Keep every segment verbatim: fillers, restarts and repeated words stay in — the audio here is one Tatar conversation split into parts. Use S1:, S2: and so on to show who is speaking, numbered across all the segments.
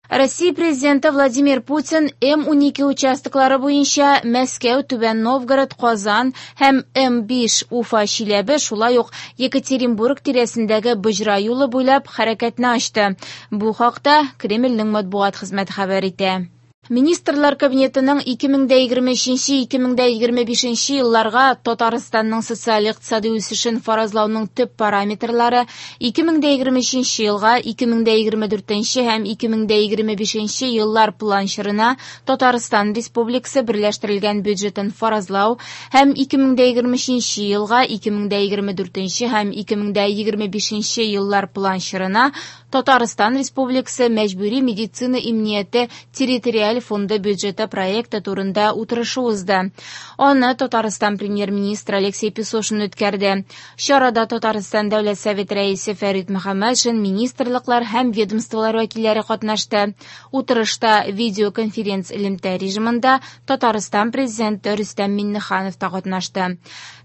S1: Россия президенты Владимир Путин М унике участоклары буенча Мәскәү, Түбән Новгород, Казан һәм М биш Уфа, Чиләбе, шулай ук Екатеринбург тирәсендәге Боҗра юлы буйлап хәрәкәтне ачты. Бу хакта Кремльнең матбугат хезмәте хәбәр итә. Министрлар Кабинетының ике мең дә егерме өченче - ике мең дә егерме бишенче елларга Татарстанның социаль-икътисади үсешен фаразлауның төп параметрлары ике мең дә егерме өченче елга, ике мең дә егерме дүртенче һәм ике мең дә егерме бишенче еллар план чорына Татарстан Республикасы берләштерелгән бюджетын фаразлау һәм ике мең дә егерме өченче елга, ике мең дә егерме дүртенче һәм ике мең дә егерме бишенче еллар план чорына Татарстан Республикасы мәҗбүри медицина иминияте территориаль фонды бюджеты проекты турында утырышы узды. Аны Татарстан премьер-министры Алексей Песошин үткәрде. Чарада Татарстан Дәүләт Советы рәисе Фәрит Мөхәммәтшин, министрлыклар һәм ведомстволар вәкилләре катнашты. Утырышта видеоконференц элемтә режимында Татарстан президенты Рөстәм Миңнеханов та катнашты.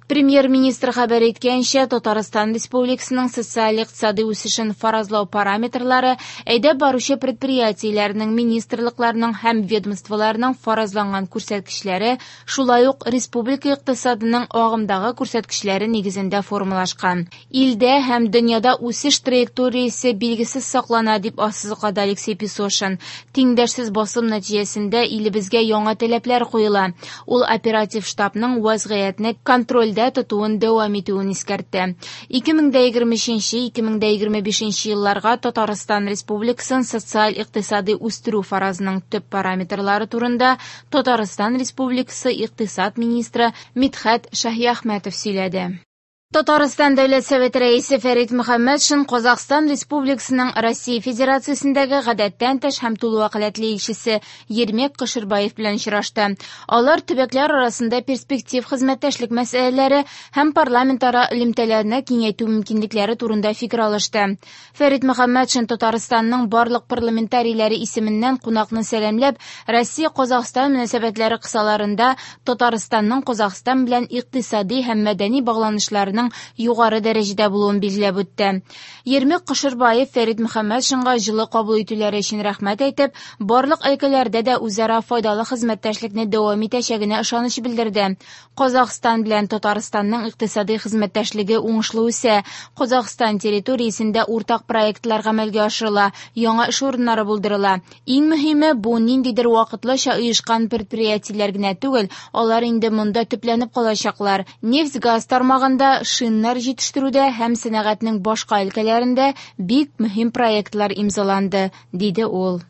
S1: Премьер-министр хәбәр иткәнчә, Татарстан Республикасының социаль-икътисади үсешен фаразлау параметрлары әйдәп баручы предприятиеләрнең, министрлыкларның һәм ведомстволарның фаразланган күрсәткечләре, шулай ук республика икътисадының агымдагы күрсәткечләре нигезендә формалашкан. Илдә һәм дөньяда үсеш траекториясе билгесез саклана, дип ассызыклады Алексей Песошин. Тиңдәшсез басым нәтиҗәсендә илебезгә яңа таләпләр куела. Ул оператив штабның вазгыятьне контрольдә тотуын дәвам итүен искәртте. Ике мең дә егерме өченче - ике мең дә егерме бишенче елларга Татарстан Республикасын социаль-икътисади үстерү фаразының төп параметрлары турында Татарстан Республикасы икътисад министры Мидхәт Шаһиәхмәтов сөйләде. Татарстан Дәүләт Советы рәисе Фәрит Мөхәммәтшин Казахстан Республикасының Россия Федерациясендәге гадәттән тыш һәм тулы вәкаләтле илчесе Ермек Кошербаев белән очрашты. Алар төбәкләр арасында перспектив хезмәттәшлек мәсьәләләре һәм парламентара элемтәләрне киңәйтү мөмкинлекләре турында фикер алышты. Фәрит Мөхәммәтшин Татарстанның барлык парламентарийләре исеменнән кунакны сәламләп, Россия-Казахстан мөнәсәбәтләре кысаларында Татарстанның Казахстан белән икътисади һәм мәдәни багланышларының югары дәрәҗәдә булуын билгеләп үтте. Ермек Кошербаев Фәрит Мөхәммәтшинга җылы кабул итүләре өчен рәхмәт әйтеп, барлык өлкәләрдә дә үзара файдалы хезмәттәшлекне дәвам итәчәгенә ышаныч белдерде. Казахстан белән Татарстанның икътисади хезмәттәшлеге уңышлы үсә. Казахстан территориясендә уртак проектлар гамәлгә ашырыла, яңа эш урыннары булдырыла. Иң мөһиме, бу ниндидер вакытлыча оешкан предприятиеләр генә түгел, алар инде монда төпләнеп калачаклар. Нефть-газ тармагында, шиннар җитештерүдә һәм сәнәгатьнең башка өлкәләрендә бик мөһим проектлар имзаланды, диде ул.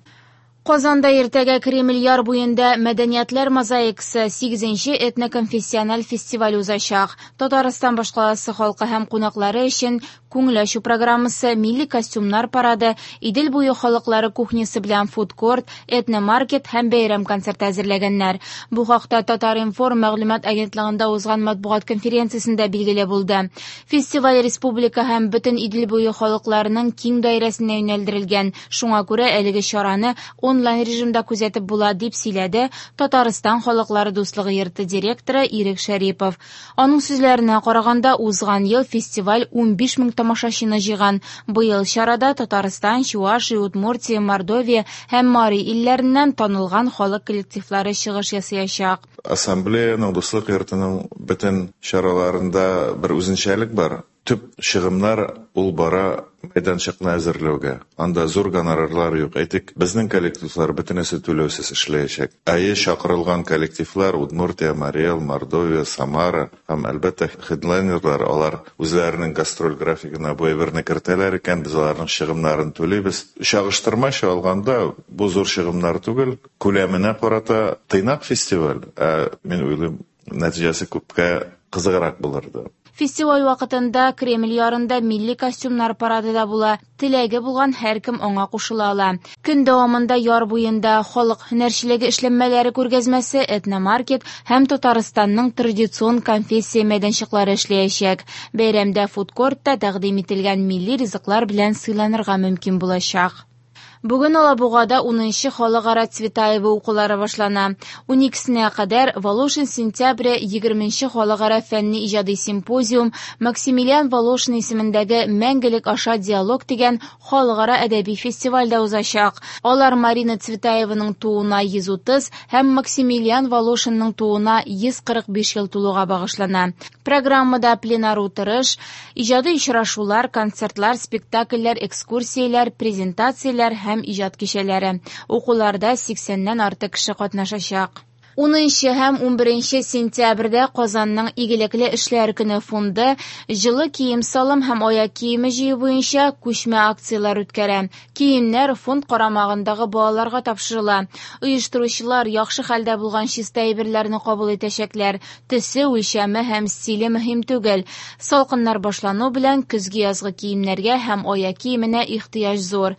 S1: Казанда иртәгә Кремль яр буенда Мәдәниятләр мозаикасы сигезенче этноконфессиональ фестиваль узачак. Татарстан башкаласы халкы һәм кунаклары өчен күңел ачу программасы, милли костюмнар парады, Идел буе халыклары кухнясы белән фудкорт, этномаркет һәм бәйрәм концерты әзерләгәннәр. Бу хакта Татар-информ мәгълүмат агентлыгында узган матбугат конференциясендә билгеле булды. Фестиваль республика һәм бөтен Идел буе халыкларының киң даирәсенә юнәлдерелгән. Шуңа күрә әлеге чараны онлайн режимда күзәтеп була, дип сөйләде Татарстан халыклары дуслыгы йорты директоры Ирек Шәрипов. Аның сүзләренә караганда, узган ел фестиваль унбиш мең тамашачыны җыйган. Быел чарада Татарстан, Чувашия, Удмуртия, Мордовия һәм Мари илләреннән танылган халык коллективлары чыгыш ясаячак.
S2: Ассамблеяның, дуслык йортының бөтен чараларында бер үзенчәлек бар. Төп чыгымнар ул бара мәйданчыкны әзерләүгә. Анда зур гонорарлар юк. Әйтик, безнең коллективлар бөтенесе түләүсез эшләячәк. Әйе, чакырылган коллективлар Удмуртия, Марий Эл, Мордовия, Самара һәм әлбәттә хедлайнерлар, алар үзләренең гастроль графигына бу әйберне кертәләр икән, без аларның чыгымнарын түлибез. Чагыштырмача алганда бу зур чыгымнар түгел, күләменә карата тыйнак фестиваль. Ә мин уйлыйм, нәтиҗәсе күпкә кызыграк булырды.
S1: Фестиваль вакытында Кремль ярында милли костюмнар парады да була. Теләге булган һәркем аңа кушыла ала. Көн дәвамында яр буенда халык һөнәрчелеге эшләнмәләре күргәзмәсе, этномаркет һәм Татарстанның традицион конфессия мәйданчыклары эшләячәк. Бәйрәмдә фудкортта тәкъдим ителгән милли ризыклар белән сыйланырга мөмкин булачак. Бүген Алабугада унынчы халыкара Цветаева укулары башлана. Уникесенә кадәр «Волошин сентябре» егерменче халыкара фәнни иҗади симпозиум, Максимилиан Волошин исемендәге «Мәңгелек аша диалог» дигән халыкара әдәби фестиваль дә узачак. Алар Марина Цветаеваның тууына йөз утыз һәм Максимилиан Волошинның тууына йөз кырык биш ел тулуга багышлана. Программада пленар утырыш, иҗади очрашулар, концертлар, спектакльләр, экскурсияләр, презентацияләр һәм иҗат кичәләре. Укуларда сиксәннән артык кеше катнашачак. Унынчы һәм унберенче сентябрьдә Казанның Игелекле эшләр көне фонды җылы кием-салым һәм аяк киеме җыю буенча күчмә акцияләр үткәрә. Киемнәр фонд карамагындагы балаларга тапшырыла. Оештыручылар яхшы хәлдә булган чиста әйберләрне кабул итәчәкләр. Төсе, үлчәме һәм стиле мөһим түгел. Салкыннар башлану белән көзге язгы киемнәргә һәм аяк киеменә ихтыяҗ зур.